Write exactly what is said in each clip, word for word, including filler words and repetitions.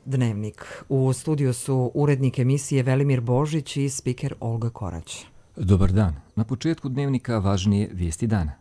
Dnevnik. U studiju su urednik emisije Velimir Božić i spiker Olga Korać. Dobar dan. Na početku Dnevnika važnije vijesti dana.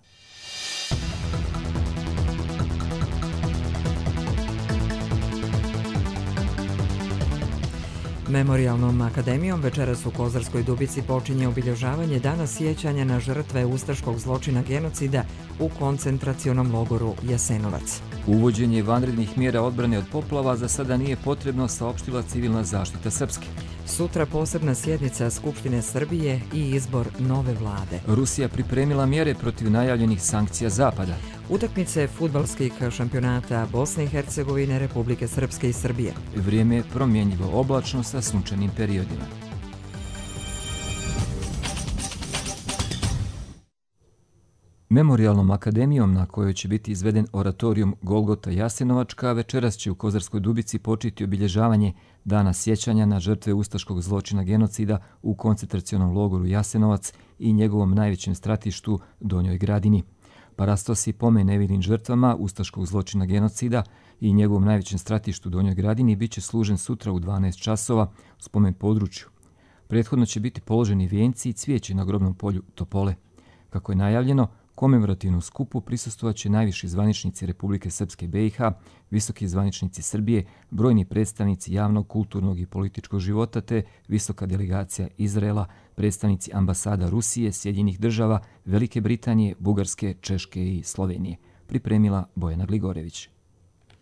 Memorijalnom akademijom večeras u Kozarskoj Dubici počinje obilježavanje Dana sjećanja na žrtve ustaškog zločina genocida u koncentracionom logoru Jasenovac. Uvođenje vanrednih mjera odbrane od poplava za sada nije potrebno, saopštila Civilna zaštita Srpske. Sutra posebna sjednica Skupštine Srbije i izbor nove vlade. Rusija pripremila mjere protiv najavljenih sankcija Zapada. Utakmice fudbalskih šampionata Bosne i Hercegovine, Republike Srpske i Srbije. Vrijeme je promjenjivo, oblačno sa sunčanim periodima. Memorijalnom akademijom na kojoj će biti izveden oratorijum Golgota Jasenovačka večeras će u Kozarskoj Dubici početi obilježavanje Dana sjećanja na žrtve ustaškog zločina genocida u koncentracionom logoru Jasenovac i njegovom najvećem stratištu Donjoj Gradini. Parastos i pomen nevinim žrtvama ustaškog zločina genocida i njegovom najvećem stratištu Donjoj Gradini bit će služen sutra u dvanaest časova u spomen području. Prethodno će biti položeni vijenci i cvijeće na grobnom polju Topole. Kako je najavljeno, komemorativnom skupu prisustvovat će najviši zvaničnici Republike Srpske B i H, visoki zvaničnici Srbije, brojni predstavnici javnog, kulturnog i političkog života te visoka delegacija Izraela, predstavnici ambasada Rusije, Sjedinjenih država, Velike Britanije, Bugarske, Češke i Slovenije. Pripremila Bojana Gligorević.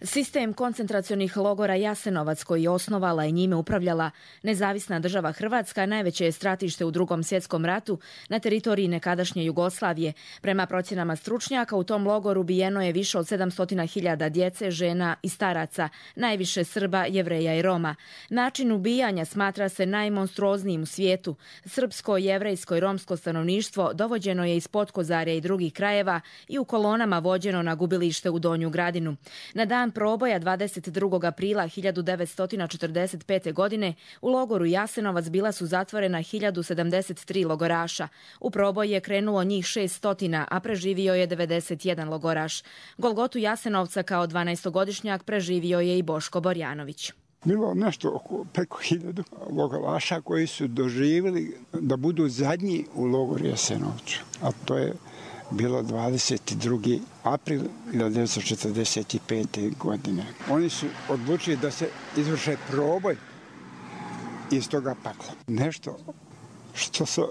Sistem koncentracionih logora Jasenovac, koji je osnovala i njime upravljala Nezavisna država Hrvatska, najveće je stratište u Drugom svjetskom ratu na teritoriji nekadašnje Jugoslavije. Prema procjenama stručnjaka, u tom logoru ubijeno je više od sedamsto hiljada djece, žena i staraca, najviše Srba, Jevreja i Roma. Način ubijanja smatra se najmonstruoznijim u svijetu. Srpsko, jevrejsko i romsko stanovništvo dovođeno je iz Potkozarja i drugih krajeva i u kolonama vođeno na gubilište u Donju Gradinu. Na dan proboja dvadeset drugog aprila hiljadu devetsto četrdeset pete. godine u logoru Jasenovac bila su zatvorena hiljadu sedamdeset tri logoraša. U proboj je krenulo njih šessto, a preživio je devedeset jedan logoraš. Golgotu Jasenovca kao dvanaestogodišnjak preživio je i Boško Borjanović. Bilo nešto oko preko hiljadu logoraša koji su doživjeli da budu zadnji u logoru Jasenovcu, a to je bilo dvadeset drugi april hiljadu devetsto četrdeset pete. godine. Oni su odlučili da se izvrše proboj iz toga pakla. Nešto što se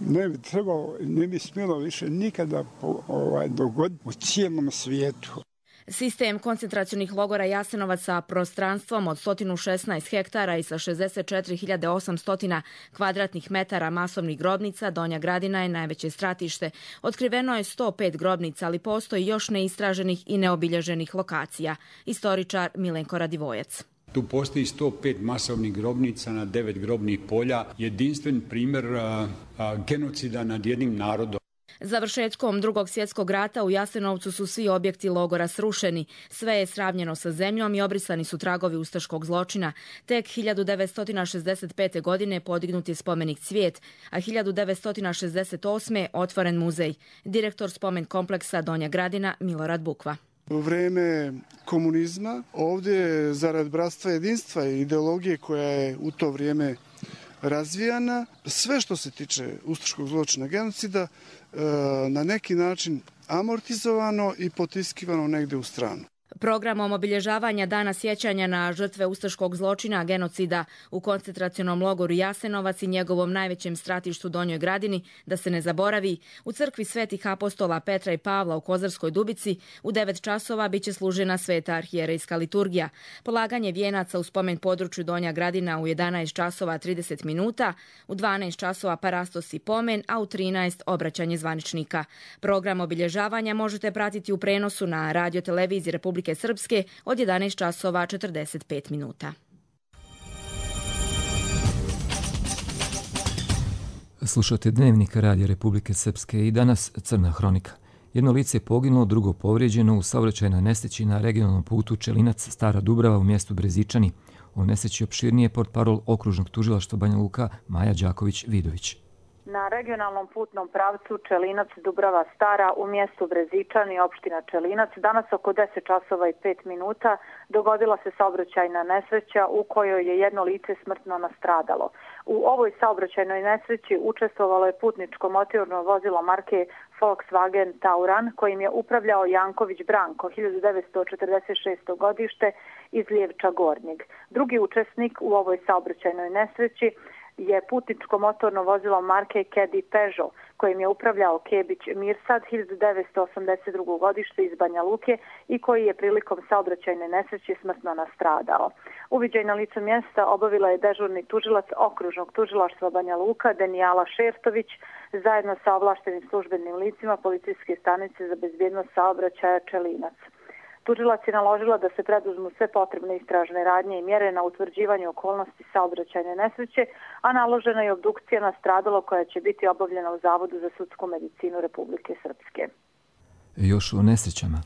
ne bi trebalo, ne bi smjelo više nikada ovaj, dogoditi u cijelom svijetu. Sistem koncentracionih logora Jasenovac sa prostranstvom od sto šesnaest hektara i sa šezdeset četiri hiljade osamsto kvadratnih metara masovnih grobnica, Donja Gradina je najveće stratište. Otkriveno je sto pet grobnica, ali postoji još neistraženih i neobilježenih lokacija. Istoričar Milenko Radivojac. Tu postoji sto pet masovnih grobnica na devet grobnih polja, jedinstven primjer a, a, genocida nad jednim narodom. Završetkom Drugog svjetskog rata u Jasenovcu su svi objekti logora srušeni. Sve je sravnjeno sa zemljom i obrisani su tragovi ustaškog zločina. Tek hiljadu devetsto šezdeset pete. godine podignut je spomenik Cvijet, a hiljadu devetsto šezdeset osme. otvoren muzej. Direktor spomen kompleksa Donja Gradina Milorad Bukva. U vrijeme komunizma ovdje zarad bratstva jedinstva i ideologije koja je u to vrijeme razvijana, sve što se tiče ustaškog zločina genocida na neki način amortizovano i potiskivano negdje u stranu. Programom obilježavanja Dana sjećanja na žrtve ustaškog zločina genocida u koncentracionom logoru Jasenovac i njegovom najvećem stratištu Donjoj Gradini, da se ne zaboravi, u crkvi svetih apostola Petra i Pavla u Kozarskoj Dubici u devet časova biće služena sveta arhijerejska liturgija. Polaganje vijenaca u spomen području Donja Gradina u jedanaest časova trideset minuta, u dvanaest časova parastos i pomen, a u trinaest obraćanje zvaničnika. Program obilježavanja možete pratiti u prenosu na radio televiziji Republike Srpske od jedanaest časova četrdeset pet minuta. Slušate Dnevnik Radija Republike Srpske i danas Crna hronika. Jedno lice je poginulo, drugo povrijeđeno u saobraćajnoj nesreći na regionalnom putu Čelinac Stara Dubrava u mjestu Brezičani. O nesreći opširnije portparol okružnog tužilaštva Banja Luka Maja Đaković-Vidović. Na regionalnom putnom pravcu Čelinac-Dubrava Stara u mjestu Brezičani, opština Čelinac, danas oko deset časova i pet minuta dogodila se saobraćajna nesreća u kojoj je jedno lice smrtno nastradalo. U ovoj saobraćajnoj nesreći učestvovalo je putničko motorno vozilo marke Volkswagen Tauran kojim je upravljao Janković Branko, hiljadu devetsto četrdeset šesto godište iz Lijevča Gornjeg. Drugi učesnik u ovoj saobraćajnoj nesreći je putničko motorno vozilo marke Caddy Peugeot kojim je upravljao Kebić Mirsad, hiljadu devetsto osamdeset drugo godište iz Banja Luke i koji je prilikom saobraćajne nesreće smrtno nastradao. Uviđaj na licu mjesta obavila je dežurni tužilac okružnog tužilaštva Banja Luka Denijala Šertović zajedno sa ovlaštenim službenim licima policijske stanice za bezbjednost saobraćaja Čelinac. Tužilac je naložila da se preduzmu sve potrebne istražne radnje i mjere na utvrđivanju okolnosti saobraćajne nesreće, a naložena je obdukcija nastradalo koja će biti obavljena u Zavodu za sudsku medicinu Republike Srpske. Još o nesrećama.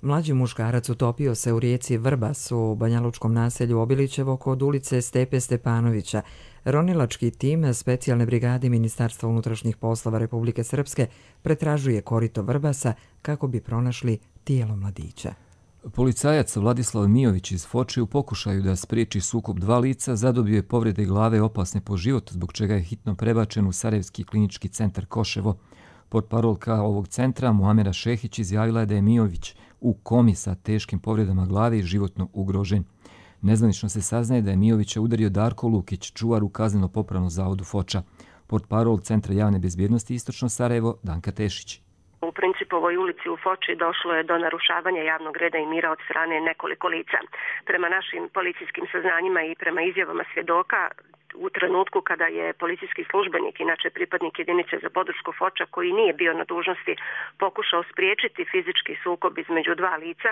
Mlađi muškarac utopio se u rijeci Vrbas u banjalučkom naselju Obilićevo kod ulice Stepe Stepanovića. Ronilački tim specijalne brigade Ministarstva unutrašnjih poslova Republike Srpske pretražuje korito Vrbasa kako bi pronašli tijelo mladića. Policajac Vladislav Mijović iz Foče u pokušaju da spriječi sukob dva lica zadobio je povrede glave opasne po život, zbog čega je hitno prebačen u Sarajevski klinički centar Koševo. Portparolka ovog centra Muamera Šehić izjavila je da je Mijović u komi sa teškim povredama glave i životno ugrožen. Nezvanično se saznaje da je Mijovića udario Darko Lukić, čuvar u kazneno-popravnom zavodu Foča. Portparol Centra javne bezbjednosti Istočno Sarajevo Danka Tešić. U Principovoj ulici u Foči došlo je do narušavanja javnog reda i mira od strane nekoliko lica. Prema našim policijskim saznanjima i prema izjavama svjedoka, u trenutku kada je policijski službenik, inače pripadnik jedinice za podršku Foča, koji nije bio na dužnosti, pokušao spriječiti fizički sukob između dva lica,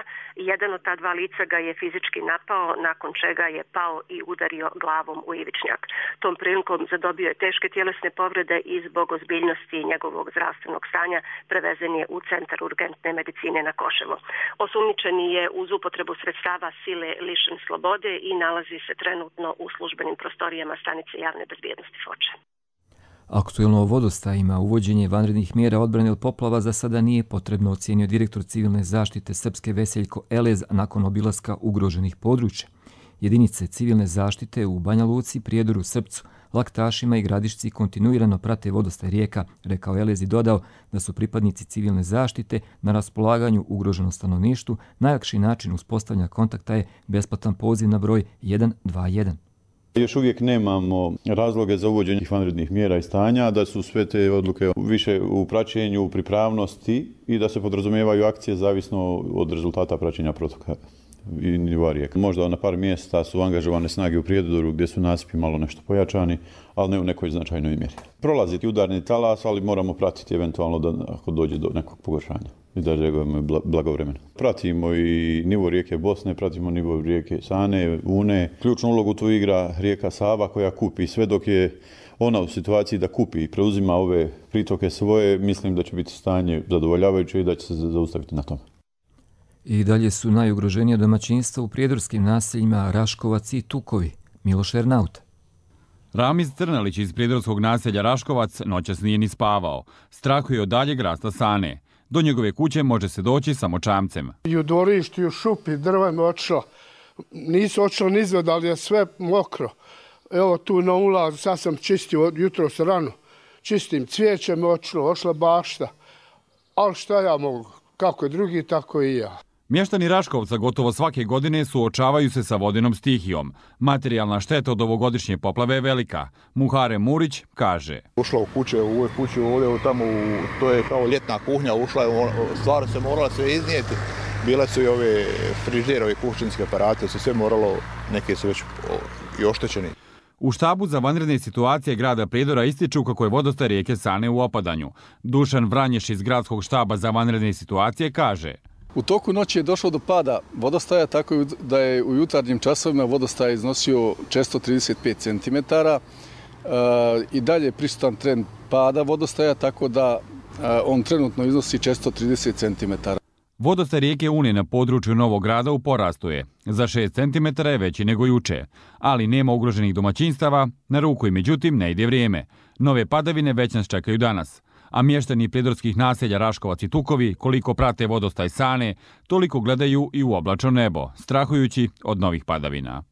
jedan od ta dva lica ga je fizički napao, nakon čega je pao i udario glavom u ivičnjak. Tom prilikom zadobio je teške tjelesne povrede i zbog ozbiljnosti njegovog zdravstvenog stanja prevezen je u centar urgentne medicine na Koševo. Osumnjičeni je uz upotrebu sredstava sile lišen slobode i nalazi se trenutno u službenim prostorijama stanice javne bezbjednosti Foče. Aktuelno o vodostajima uvođenje vanrednih mjera odbrane od poplava za sada nije potrebno, ocijenio direktor civilne zaštite Srpske Veseljko Elez nakon obilaska ugroženih područja. Jedinice civilne zaštite u Banja Luci, Prijedoru, Srpcu, Laktašima i Gradišci kontinuirano prate vodostaj rijeka, rekao Elez i dodao da su pripadnici civilne zaštite na raspolaganju ugroženom stanovništvu. Najlakši način uspostavljanja kontakta je besplatan poziv na broj jedan dva jedan. Još uvijek nemamo razloge za uvođenje vanrednih mjera i stanja, da su sve te odluke više u praćenju, u pripravnosti i da se podrazumijevaju akcije zavisno od rezultata praćenja protoka i nivoa rijeka. Možda na par mjesta su angažovane snage u Prijedoru gdje su nasipi malo nešto pojačani, ali ne u nekoj značajnoj mjeri. Prolaziti udarni talas, ali moramo pratiti eventualno da ako dođe do nekog pogoršanja i da reagujemo blagovremeno. Pratimo i nivo rijeke Bosne, pratimo nivo rijeke Sane, Une. Ključnu ulogu tu igra rijeka Sava koja kupi sve dok je ona u situaciji da kupi i preuzima ove pritoke svoje, mislim da će biti stanje zadovoljavajuće i da će se zaustaviti na tome. I dalje su najugroženije domaćinstva u prijedorskim naseljima Raškovac i Tukovi. Miloš Ernauta. Ramiz Crnalić iz prijedorskog naselja Raškovac noćas nije ni spavao. Strahuje od daljeg rasta Sane. Do njegove kuće može se doći samo čamcem. I u dvorištu, i u šupi, drva mi otišla. Nisu otišla nizved, ali je sve mokro. Evo tu na ulazu, sad sam čistio jutro s rano. Čistim cvijeće mi otišlo, otišla bašta. Ali šta ja mogu? Kako je drugi, tako i ja. Mještani Raškovca gotovo svake godine suočavaju se sa vodenom stihijom. Materijalna šteta od ovogodišnje poplave je velika. Muhare Murić kaže. Ušla u kuće, u ovoj kući ovdje, tamo, to je kao ljetna kuhnja, ušla je, stvari se morala sve iznijeti. Bile su i ove frižidere, kućinske aparate, su sve moralo, neke su već i oštećeni. U štabu za vanredne situacije grada Prijedora ističu kako je vodostaj rijeke Sane u opadanju. Dušan Vranješ iz gradskog štaba za vanredne situacije kaže. U toku noći je došlo do pada vodostaja, tako da je u jutarnjim časovima vodostaj iznosio često trideset pet centimetara. I dalje je prisutan trend pada vodostaja, tako da on trenutno iznosi često trideset centimetara. Vodostaj rijeke Une na području Novog Grada u porastu je. Za šest centimetara je veći nego juče, ali nema ugroženih domaćinstava, na ruku i međutim ne ide vrijeme. Nove padavine već nas čekaju danas. A mještani prijedorskih naselja Raškovac i Tukovi, koliko prate vodostaj Sane, toliko gledaju i u oblačno nebo, strahujući od novih padavina.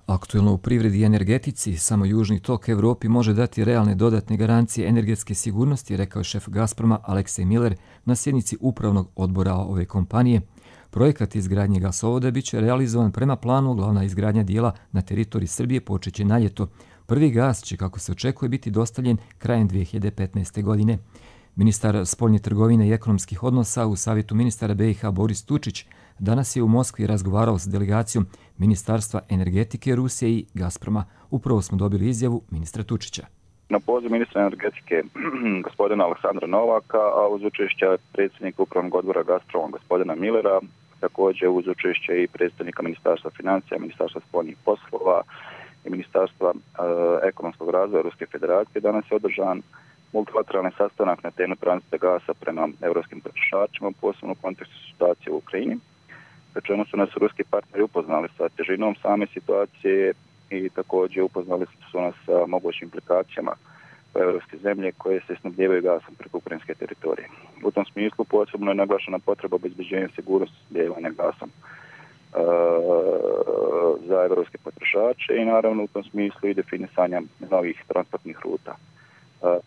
Aktuelno u privredi i energetici, samo južni tok Evropi može dati realne dodatne garancije energetske sigurnosti, rekao je šef Gazproma Aleksej Miller na sjednici upravnog odbora ove kompanije. Projekat izgradnje gasovoda bit će realizovan prema planu, glavna izgradnja dijela na teritoriji Srbije počeće na ljeto. Prvi gas će, kako se očekuje, biti dostavljen krajem dvije hiljade petnaeste. godine. Ministar spoljne trgovine i ekonomskih odnosa u Savjetu ministara B i H Boris Tučić danas je u Moskvi razgovarao s delegacijom Ministarstva energetike Rusije i Gazproma. Upravo smo dobili izjavu ministra Tučića. Na poziv ministra energetike gospodina Aleksandra Novaka, a uz učešće predsjednika upravnog odbora Gazproma gospodina Millera, također uz učešće i predsjednika Ministarstva financija, Ministarstva spoljnih poslova i Ministarstva e, ekonomskog razvoja Ruske federacije, danas je održan multilateralni sastanak na temu tranzita gasa prema europskim potrošačima, posebno u kontekstu situacije u Ukrajini, pri čemu su nas ruski partneri upoznali sa težinom same situacije i također upoznali su nas sa mogućim implikacijama po evropske zemlje koje se snabdijevaju gasom preko ukrajinske teritorije. U tom smislu posebno je naglašena potreba obezbeđenja sigurnosti snabdijevanja gasom uh, za evropske potrošače i naravno u tom smislu i definisanja novih transportnih ruta. Uh,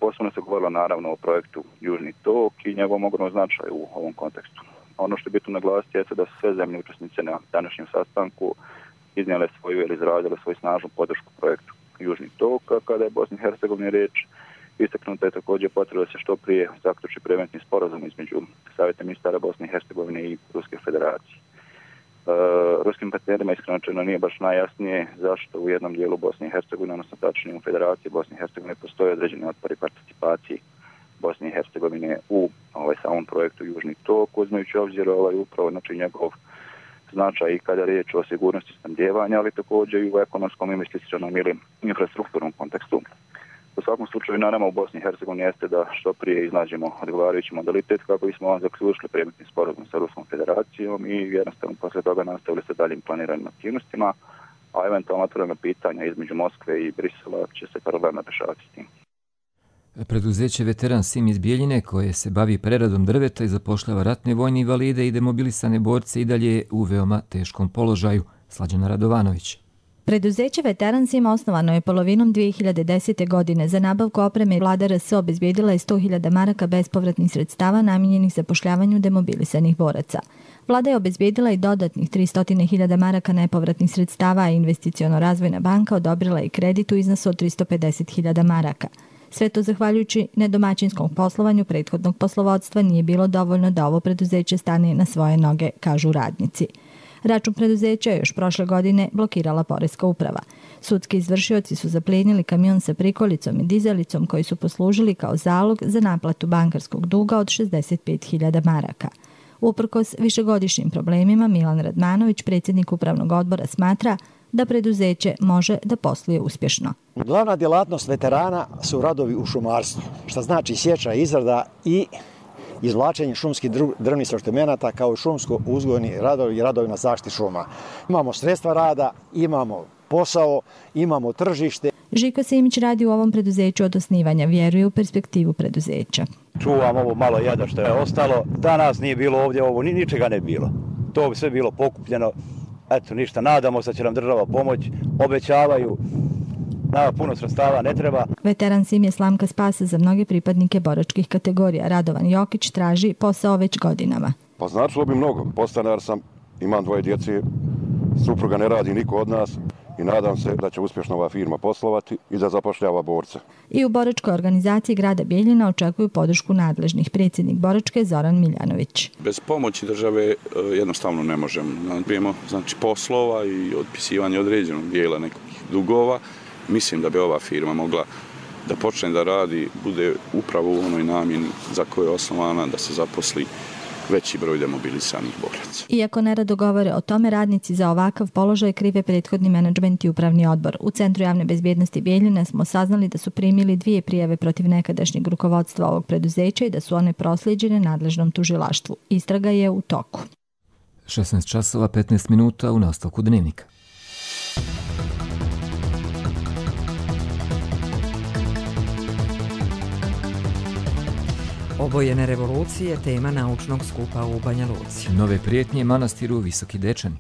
posebno se govorilo naravno o projektu Južni tok i njegovom ogromnom značaju u ovom kontekstu. Ono što je bitno naglasiti je da su sve zemlje učesnice na današnjem sastanku iznijele svoju ili izrazile svoju snažnu podršku projektu Južni tok, a kada je Bosni i Hercegovini riječ, istaknuta je također potreba da se što prije zaključi preventni sporazum između Savjeta ministara Bosne i Hercegovine i Ruske federacije. E, ruskim partnerima iskreno nije baš najjasnije zašto u jednom dijelu Bosne i Hercegovine, odnosno tačnije u Federaciji Bosne i Hercegovine, postoje određeni otpori participaciji Bosne i Hercegovine u ovaj samom projektu Južni tok, uzmajući obzir ovaj upravo znači njegov značaj i kada je riječ o sigurnosti snabdijevanja, ali također i u ekonomskom, investicionom ili infrastrukturnom kontekstu. U svakom slučaju na nama u Bosni i Hercegovini jeste da što prije iznađemo odgovarajući modalitet kako bismo vam zaključili predmetni sporazum sa Ruskom federacijom i jednostavno poslije toga nastavili sa daljim planiranim aktivnostima, a eventualno otvorena pitanja između Moskve i Brisela će se paralelno rješavati s tim. Preduzeće Veteran Sim iz Bijeljine, koje se bavi preradom drveta i zapošljava ratne vojne invalide i demobilisane borce, i dalje je u veoma teškom položaju. Slađana Radovanović. Preduzeće Veteran Sim osnovano je polovinom dvije hiljade desete. godine. Za nabavku opreme vlada R S obezbijedila je sto hiljada maraka bespovratnih sredstava namijenjenih zapošljavanju demobilisanih boraca. Vlada je obezbijedila i dodatnih tristo hiljada maraka nepovratnih sredstava, a Investiciono razvojna banka odobrila i kredit u iznosu od tristo pedeset hiljada maraka. Sve to zahvaljujući nedomaćinskom poslovanju prethodnog poslovodstva nije bilo dovoljno da ovo preduzeće stane na svoje noge, kažu radnici. Račun preduzeća je još prošle godine blokirala poreska uprava. Sudski izvršioci su zaplijenili kamion sa prikolicom i dizalicom koji su poslužili kao zalog za naplatu bankarskog duga od šezdeset pet hiljada maraka. Uprkos višegodišnjim problemima, Milan Radmanović, predsjednik upravnog odbora, smatra da preduzeće može da posluje uspješno. Glavna djelatnost veterana su radovi u šumarstvu, što znači sječa, izrada i izvlačenje šumskih drvnih sortimenata kao i šumsko uzgojni radovi i radovi na zaštiti šuma. Imamo sredstva rada, imamo posao, imamo tržište. Žiko Simić radi u ovom preduzeću od osnivanja, vjeruje u perspektivu preduzeća. Čuvam ovo malo jada što je ostalo. Danas nije bilo ovdje, ovo ni, ničega ne bilo. To bi sve bilo pokupljeno. Eto, ništa, nadamo se da će nam država pomoć, obećavaju, nama puno sredstava ne treba. Veteran Sim je slamka spasa za mnoge pripadnike boračkih kategorija. Radovan Jokić traži posao već godinama. Pa značilo bi mnogo. Podstanar sam, imam dvoje djece, supruga ne radi niko od nas i nadam se da će uspješno ova firma poslovati i da zapošljava borce. I u boračkoj organizaciji grada Bijeljina očekuju podršku nadležnih. Predsjednik boračke Zoran Miljanović. Bez pomoći države jednostavno ne možemo. Naprijemo znači poslova i otpisivanje određenog dijela nekih dugova. Mislim da bi ova firma mogla da počne da radi, bude upravo u onoj namjeni za koju je osnovana, da se zaposli veći broj demobilisanih boraca. Iako nerado govore o tome, radnici za ovakav položaj krive prethodni menadžment i upravni odbor. U Centru javne bezbjednosti Bijeljine smo saznali da su primili dvije prijave protiv nekadašnjeg rukovodstva ovog preduzeća i da su one proslijeđene nadležnom tužilaštvu. Istraga je u toku. šesnaest časova petnaest minuta u nastavku dnevnika. Obojene revolucije, tema naučnog skupa u Banja Luci. Nove prijetnje manastiru Visoki Dečani.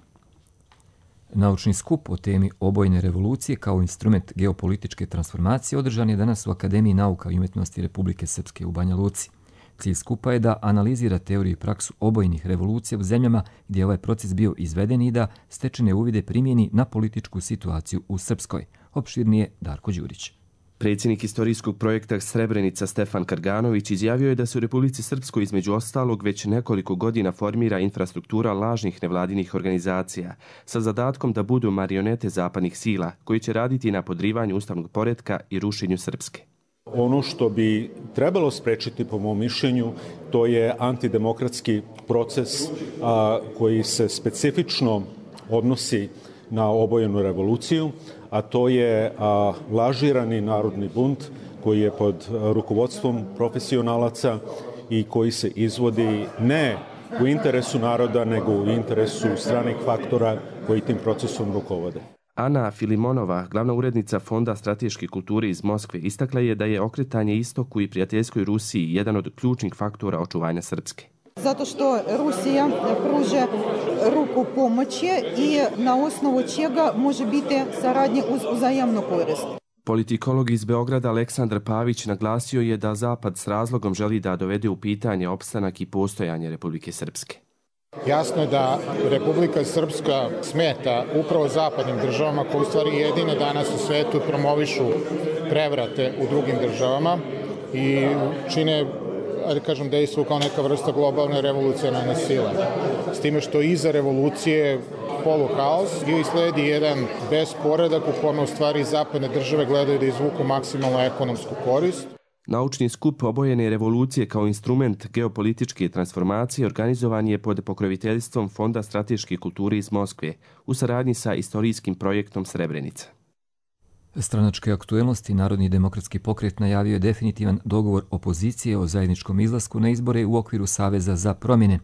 Naučni skup o temi obojene revolucije kao instrument geopolitičke transformacije održan je danas u Akademiji nauka i umjetnosti Republike Srpske u Banja Luci. Cilj skupa je da analizira teoriju i praksu obojnih revolucija u zemljama gdje je ovaj proces bio izveden i da stečene uvide primjeni na političku situaciju u Srpskoj. Opširnije Darko Đurić. Predsjednik istorijskog projekta Srebrenica Stefan Karganović izjavio je da se u Republici Srpskoj između ostalog već nekoliko godina formira infrastruktura lažnih nevladinih organizacija sa zadatkom da budu marionete zapadnih sila koji će raditi na podrivanju ustavnog poretka i rušenju Srpske. Ono što bi trebalo sprečiti, po mom mišljenju, to je antidemokratski proces a, koji se specifično odnosi na obojenu revoluciju, a to je a, lažirani narodni bunt koji je pod rukovodstvom profesionalaca i koji se izvodi ne u interesu naroda, nego u interesu stranih faktora koji tim procesom rukovode. Ana Filimonova, glavna urednica Fonda strateške kulture iz Moskve, istakla je da je okretanje istoku i prijateljskoj Rusiji jedan od ključnih faktora očuvanja Srpske. Zato što Rusija pruža ruku pomoći i na osnovu čega može biti saradnja uz uzajamnu korist. Politikolog iz Beograda Aleksandar Pavić naglasio je da Zapad s razlogom želi da dovede u pitanje opstanak i postojanje Republike Srpske. Jasno je da Republika Srpska smeta upravo zapadnim državama koji u stvari jedine danas u svetu promovišu prevrate u drugim državama i čine, da kažem, dejstvo kao neka vrsta globalne revolucionarne sile. S time što iza revolucije poluhaos i sledi jedan besporedak u kome u stvari zapadne države gledaju da izvuku maksimalnu ekonomsku korist. Naučni skup obojene revolucije kao instrument geopolitičke transformacije organizovan je pod pokroviteljstvom Fonda strateške kulture iz Moskve u saradnji sa istorijskim projektom Srebrenica. Stranačke aktuelnosti Narodni demokratski pokret najavio je definitivan dogovor opozicije o zajedničkom izlasku na izbore u okviru Saveza za promjene.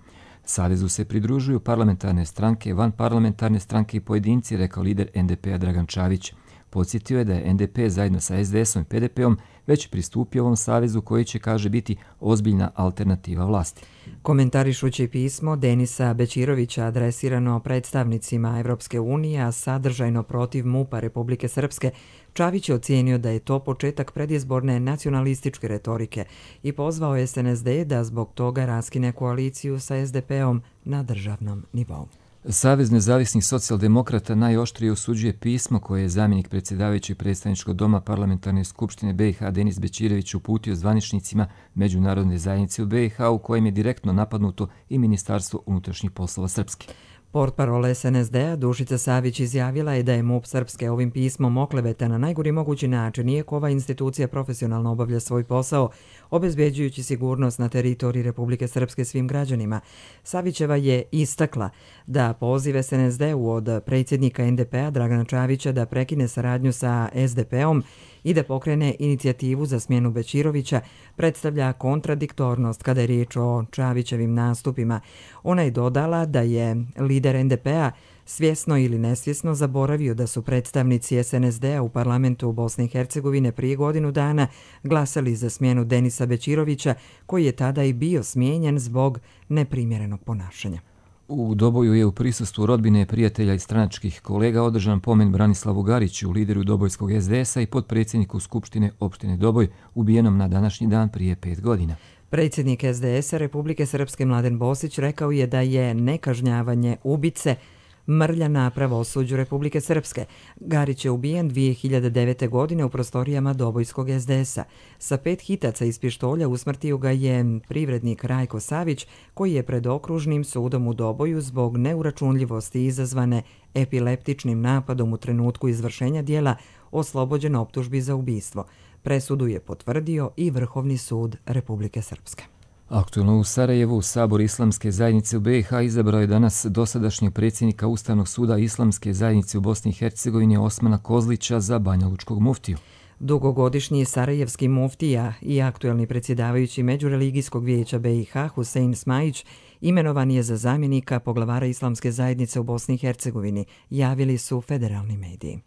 Savezu se pridružuju parlamentarne stranke, vanparlamentarne stranke i pojedinci, rekao lider en de pe-a Dragan Čavić. Podsjetio je da je en de pe zajedno sa es de esom i pe de pe-om već pristupio ovom savezu koji će, kaže, biti ozbiljna alternativa vlasti. Komentarišući pismo Denisa Bećirovića adresirano predstavnicima Evropske unije, a sadržajno protiv MUP-a Republike Srpske, Čavić je ocijenio da je to početak predizborne nacionalističke retorike i pozvao es en es de da zbog toga raskine koaliciju sa es de pe-om na državnom nivou. Savez nezavisnih socijaldemokrata najoštrije osuđuje pismo koje je zamjenik predsjedavajućeg predstavničkog doma Parlamentarne skupštine be i ha Denis Bećirović uputio zvaničnicima Međunarodne zajednice u be i ha u kojem je direktno napadnuto i Ministarstvo unutrašnjih poslova Srpske. Portparol es en es de-a Dušica Savić izjavila je da je MUP Srpske ovim pismom okleveta na najgori mogući način, iako ova institucija profesionalno obavlja svoj posao, obezbeđujući sigurnost na teritoriji Republike Srpske svim građanima. Savićeva je istakla da poziv es en es de-u od predsjednika en de pe-a Dragana Čavića da prekine saradnju sa es de pe-om i da pokrene inicijativu za smjenu Bećirovića predstavlja kontradiktornost kada je riječ o Čavićevim nastupima. Ona je dodala da je lider en de pe-a svjesno ili nesvjesno zaboravio da su predstavnici es en es de-a u parlamentu Bosne i Hercegovine prije godinu dana glasali za smjenu Denisa Bećirovića, koji je tada i bio smijenjen zbog neprimjerenog ponašanja. U Doboju je u prisustvu rodbine, prijatelja i stranačkih kolega održan pomen Branislavu Gariću, lideru dobojskog es de esa i potpredsjedniku Skupštine opštine Doboj, ubijenom na današnji dan prije pet godina. Predsjednik es de esa Republike Srpske Mladen Bosić rekao je da je nekažnjavanje ubice mrlja na pravosuđu Republike Srpske. Garić je ubijen dvije hiljade devete. godine u prostorijama Dobojskog es de esa. Sa pet hitaca iz pištolja usmrtio ga je privrednik Rajko Savić, koji je pred okružnim sudom u Doboju zbog neuračunljivosti izazvane epileptičnim napadom u trenutku izvršenja dijela oslobođen optužbi za ubistvo. Presudu je potvrdio i Vrhovni sud Republike Srpske. Aktualno u Sarajevu, Sabor Islamske zajednice u B i H izabrao je danas dosadašnjeg predsjednika Ustavnog suda Islamske zajednice u Bosni i Hercegovini Osmana Kozlića za banjalučkog muftiju. Dugogodišnji sarajevski muftija i aktuelni predsjedavajući Međureligijskog vijeća B i H Husein Smajić imenovan je za zamjenika poglavara Islamske zajednice u Bosni i Hercegovini, javili su federalni mediji.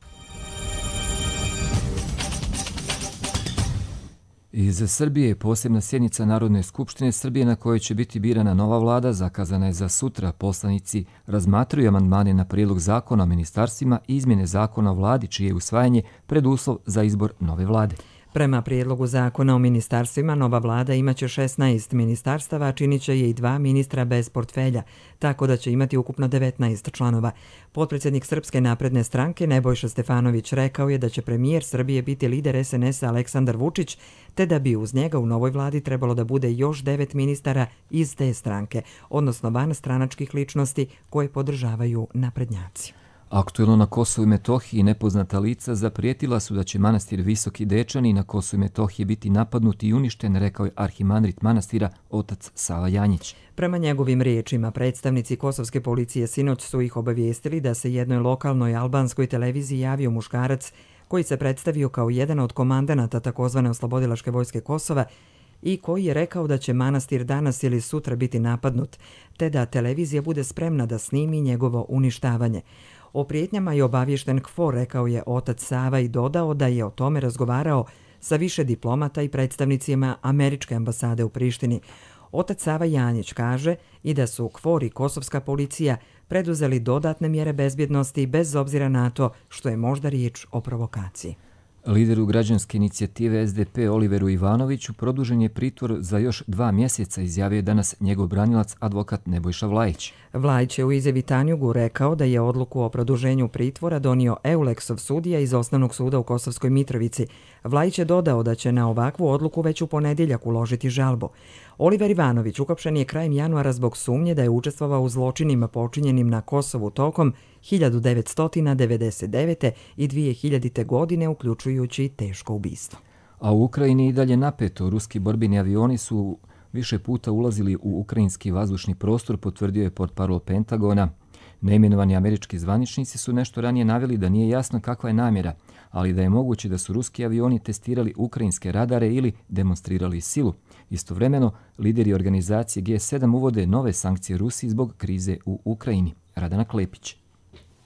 Iz Srbije posebna sjednica Narodne skupštine Srbije na kojoj će biti birana nova vlada zakazana je za sutra. Poslanici razmatraju amandmane na prijedlog zakona o ministarstvima i izmjene zakona o vladi, čije je usvajanje preduslov za izbor nove vlade. Prema prijedlogu zakona o ministarstvima, nova vlada imaće šesnaest ministarstava, činit će je i dva ministra bez portfelja, tako da će imati ukupno devetnaest članova. Potpredsjednik Srpske napredne stranke Nebojša Stefanović rekao je da će premijer Srbije biti lider S N S-a Aleksandar Vučić, te da bi uz njega u novoj vladi trebalo da bude još devet ministara iz te stranke, odnosno van stranačkih ličnosti koje podržavaju naprednjaci. Aktuelno na Kosovu i Metohiji nepoznata lica zaprijetila su da će manastir Visoki Dečani na Kosovu i Metohiji biti napadnut i uništen, rekao je arhimandrit manastira otac Sava Janjić. Prema njegovim riječima, predstavnici kosovske policije sinoć su ih obavijestili da se jednoj lokalnoj albanskoj televiziji javio muškarac koji se predstavio kao jedan od komandanata takozvane oslobodilačke vojske Kosova i koji je rekao da će manastir danas ili sutra biti napadnut, te da televizija bude spremna da snimi njegovo uništavanje. O prijetnjama je obaviješten K F O R, rekao je otac Sava i dodao da je o tome razgovarao sa više diplomata i predstavnicima američke ambasade u Prištini. Otac Sava Janjić kaže i da su K F O R i kosovska policija preduzeli dodatne mjere bezbjednosti bez obzira na to što je možda riječ o provokaciji. Lideru građanske inicijative S D P Oliveru Ivanoviću produžen je pritvor za još dva mjeseca, izjavio je danas njegov branilac advokat Nebojša Vlajić. Vlajić je u izjavi Tanjugu rekao da je odluku o produženju pritvora donio Euleksov sudija iz Osnovnog suda u Kosovskoj Mitrovici. Vlajić je dodao da će na ovakvu odluku već u ponedjeljak uložiti žalbu. Oliver Ivanović uhapšen je krajem januara zbog sumnje da je učestvovao u zločinima počinjenim na Kosovu tokom hiljadu devetsto devedeset devete. i dvije hiljadite. godine, uključujući teško ubistvo. A u Ukrajini i dalje napeto. Ruski borbeni avioni su više puta ulazili u ukrajinski vazdušni prostor, potvrdio je portparol Pentagona. Neimenovani američki zvaničnici su nešto ranije naveli da nije jasno kakva je namjera, ali da je moguće da su ruski avioni testirali ukrajinske radare ili demonstrirali silu. Istovremeno, lideri organizacije G sedam uvode nove sankcije Rusiji zbog krize u Ukrajini. Radana Klepić.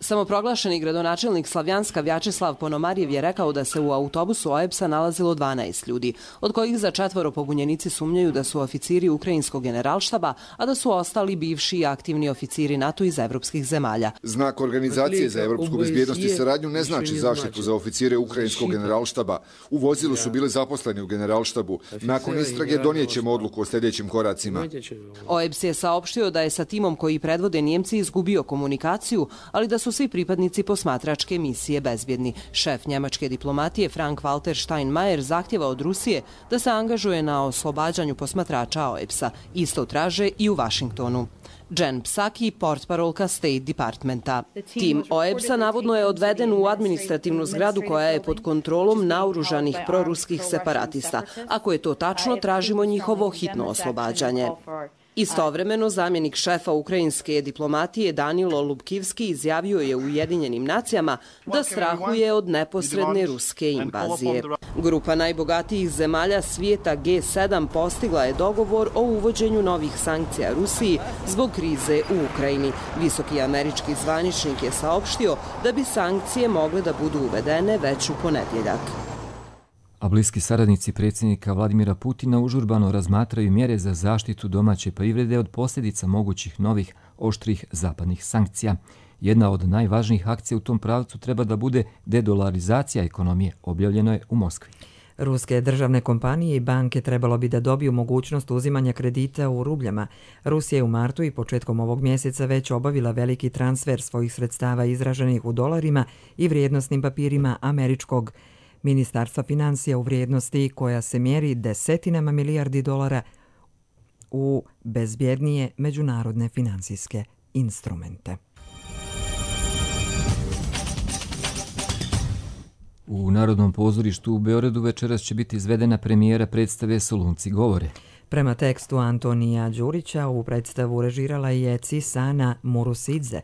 Samoproglašeni gradonačelnik Slavjanska Vjačeslav Ponomarjev je rekao da se u autobusu O E B S-a nalazilo dvanaest ljudi, od kojih za četvoro pobunjenici sumnjaju da su oficiri ukrajinskog generalštaba, a da su ostali bivši i aktivni oficiri NATO iz evropskih zemalja. Znak Organizacije za evropsku bezbjednost i saradnju ne znači zaštitu za oficire ukrajinskog generalštaba. U vozilu su bili zaposleni u generalštabu. Nakon istrage donijećemo odluku o sljedećim koracima. O E B S je saopštio da je sa timom koji predvode Njemci izgubio komunikaciju, ali da su svi pripadnici posmatračke misije bezbjedni. Šef njemačke diplomatije Frank-Walter Steinmeier zahtjeva od Rusije da se angažuje na oslobađanju posmatrača O E B S-a. Isto traže i u Vašingtonu. Jen Psaki, portparolka State Departmenta. Tim O E B S-a navodno je odveden u administrativnu zgradu koja je pod kontrolom naoružanih proruskih separatista. Ako je to tačno, tražimo njihovo hitno oslobađanje. Istovremeno, zamjenik šefa ukrajinske diplomatije Danilo Lubkivski izjavio je u Ujedinjenim nacijama da strahuje od neposredne ruske invazije. Grupa najbogatijih zemalja svijeta G sedam postigla je dogovor o uvođenju novih sankcija Rusiji zbog krize u Ukrajini. Visoki američki zvaničnik je saopštio da bi sankcije mogle da budu uvedene već u ponedjeljak. A bliski saradnici predsjednika Vladimira Putina užurbano razmatraju mjere za zaštitu domaće privrede od posljedica mogućih novih oštrih zapadnih sankcija. Jedna od najvažnijih akcija u tom pravcu treba da bude dedolarizacija ekonomije, objavljeno je u Moskvi. Ruske državne kompanije i banke trebalo bi da dobiju mogućnost uzimanja kredita u rubljama. Rusija je u martu i početkom ovog mjeseca već obavila veliki transfer svojih sredstava izraženih u dolarima i vrijednosnim papirima američkog Ministarstva financija u vrijednosti koja se mjeri desetinama milijardi dolara u bezbjednije međunarodne financijske instrumente. U Narodnom pozorištu u Beogradu večeras će biti izvedena premijera predstave Solunci govore. Prema tekstu Antonija Đurića u predstavu režirala je Cisana Murusidze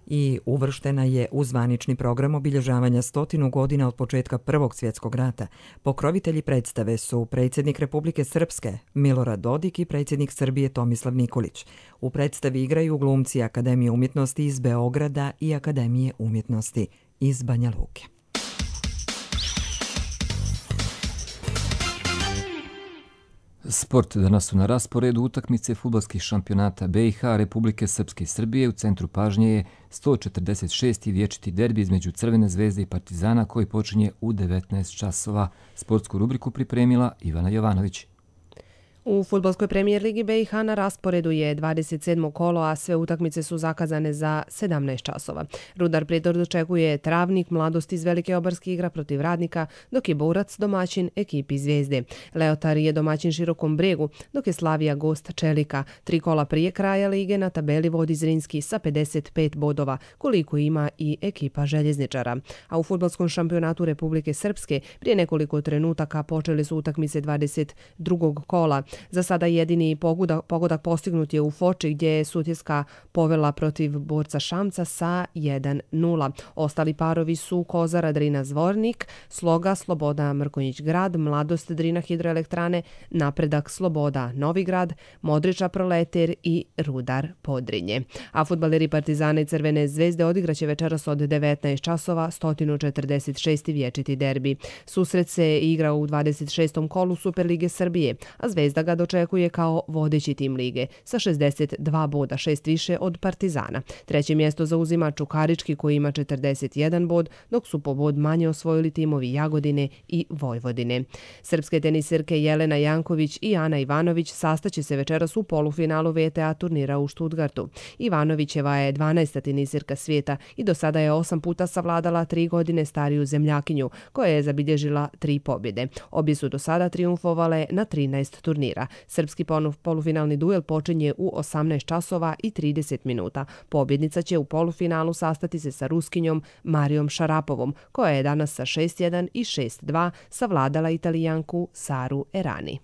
i uvrštena je u zvanični program obilježavanja stotinu godina od početka Prvog svjetskog rata. Pokrovitelji predstave su predsjednik Republike Srpske Milorad Dodik i predsjednik Srbije Tomislav Nikolić. U predstavi igraju glumci Akademije umjetnosti iz Beograda i Akademije umjetnosti iz Banja Luke. Sport. Danas su na rasporedu utakmice fudbalskih šampionata B i H, Republike Srpske i Srbije. U centru pažnje je sto četrdeset šesti vječiti derbi između Crvene zvezde i Partizana koji počinje u devetnaest časova. Sportsku rubriku pripremila Ivana Jovanović. U fudbalskoj premijer ligi B i H na rasporedu je dvadeset sedmo kolo, a sve utakmice su zakazane za sedamnaest časova. Rudar Prijedor dočekuje Travnik, Mladost iz Velike Obarske igra protiv Radnika, dok je Borac domaćin ekipi Zvezde. Leotar je domaćin Širokom Bregu, dok je Slavija gost Čelika. Tri kola prije kraja lige na tabeli vodi Zrinski sa pedeset pet bodova, koliko ima i ekipa Željezničara. A u fudbalskom šampionatu Republike Srpske prije nekoliko trenutaka počeli su utakmice dvadeset drugog kola. Za sada jedini pogodak, pogodak postignut je u Foči gdje je Sutjeska povela protiv Borca Šamca sa jedan nula. Ostali parovi su Kozara Drina Zvornik, Sloga Sloboda Mrkonjić Grad, Mladost Drina Hidroelektrane, Napredak Sloboda Novigrad, Modriča Proleter i Rudar Podrinje. A fudbaleri Partizana i Crvene zvezde odigraće večeras od devetnaest časova sto četrdeset šesti vječiti derbi. Susret se igra u dvadeset šestom kolu Superlige Srbije, a Zvezda ga dočekuje kao vodeći tim lige sa šezdeset dva boda, šest više od Partizana. Treće mjesto zauzima Čukarički koji ima četrdeset jedan bod, dok su po bod manje osvojili timovi Jagodine i Vojvodine. Srpske teniserke Jelena Janković i Ana Ivanović sastaće se večeras u polufinalu V T A turnira u Stuttgartu. Ivanovićeva je dvanaesta teniserka svijeta i do sada je osam puta savladala tri godine stariju zemljakinju, koja je zabilježila tri pobjede. Obje su do sada triumfovale na trinaest turnira. Srpski polufinalni duel počinje u osamnaest časova i trideset minuta. Pobjednica će u polufinalu sastati se sa Ruskinjom Marijom Šarapovom, koja je danas sa šest jedan i šest dva savladala Italijanku Saru Errani.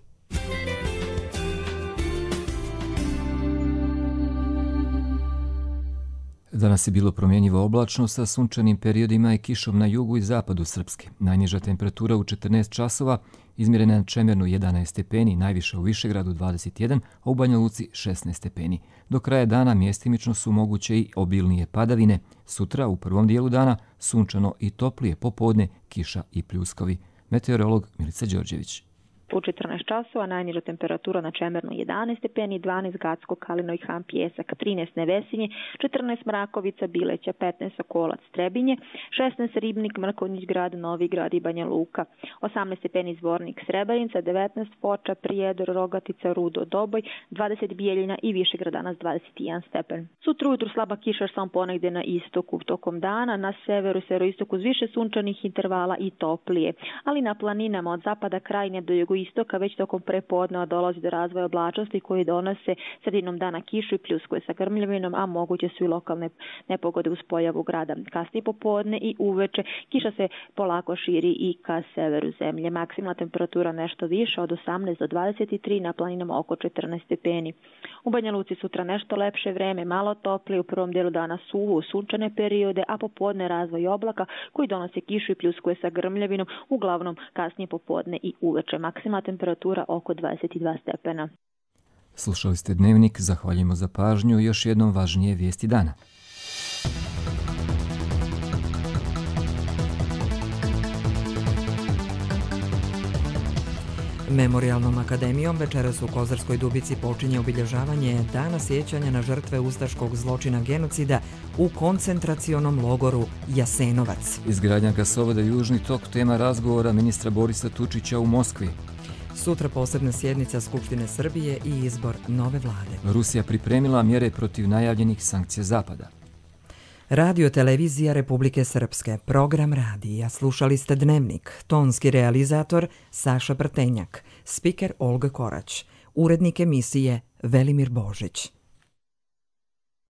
Danas je bilo promjenjivo oblačno sa sunčanim periodima i kišom na jugu i zapadu Srpske. Najniža temperatura u četrnaest časova izmjerena na Čemernu jedanaest stepeni, najviša u Višegradu dvadeset jedan, a u Banja Luci šesnaest stepeni. Do kraja dana mjestimično su moguće i obilnije padavine. Sutra u prvom dijelu dana sunčano i toplije, popodne kiša i pljuskovi. Meteorolog Milica Đorđević. U četrnaest časova najniža temperatura na Čemernu jedanaest stepeni, dvanaest Gacko, Kalino i Han Pjesak, trinaest Nevesinje, četrnaest Mrakovica, Bileća, petnaest Sokolac, Trebinje, šesnaest Ribnik, Mrkonjić Grad, Novi Grad i Banja Luka, osamnaest stepeni Zvornik, Srebrenica, devetnaest Foča, Prijedor, Rogatica, Rudo, Doboj, dvadeset Bijeljina i Višegrad, danas dvadeset jedan stepen. Sutra ujutru slaba kiša samo ponegde na istoku, tokom dana na severu i severoistoku uz više sunčanih intervala i toplije, ali na planinama od zapada Krajine do jugoistoka istoka već tokom prepodneva dolazi do razvoja oblačnosti koji donose sredinom dana kišu i pljuskuje sa grmljavinom, a moguće su i lokalne nepogode uz pojavu grada. Kasnije popodne i uveče kiša se polako širi i ka severu zemlje. Maksimalna temperatura nešto više od osamnaest do dvadeset tri, na planinama oko četrnaest stepeni. U Banja Luci sutra nešto lepše vreme, malo toplije, u prvom dijelu dana suvo, sunčane periode, a popodne razvoj oblaka koji donose kišu i pljuskuje sa grmljavinom, uglavnom kasnije popodne i uveče. Maksimalna temperatura oko dvadeset dva stepena. Slušali ste Dnevnik, zahvaljujemo za pažnju i još jednom važnije vijesti dana. Memorijalnom akademijom večeras u Kozarskoj Dubici počinje obilježavanje Dana sjećanja na žrtve ustaškog zločina genocida u koncentracionom logoru Jasenovac. Izgradnja gasovoda Južni tok tema razgovora ministra Borisa Tučića u Moskvi. Sutra posebna sjednica Skupštine Srbije i izbor nove vlade. Rusija pripremila mjere protiv najavljenih sankcija Zapada. Radio televizija Republike Srpske, program radija, slušali ste Dnevnik, tonski realizator Saša Prtenjak, spiker Olga Korać, urednik emisije Velimir Božić.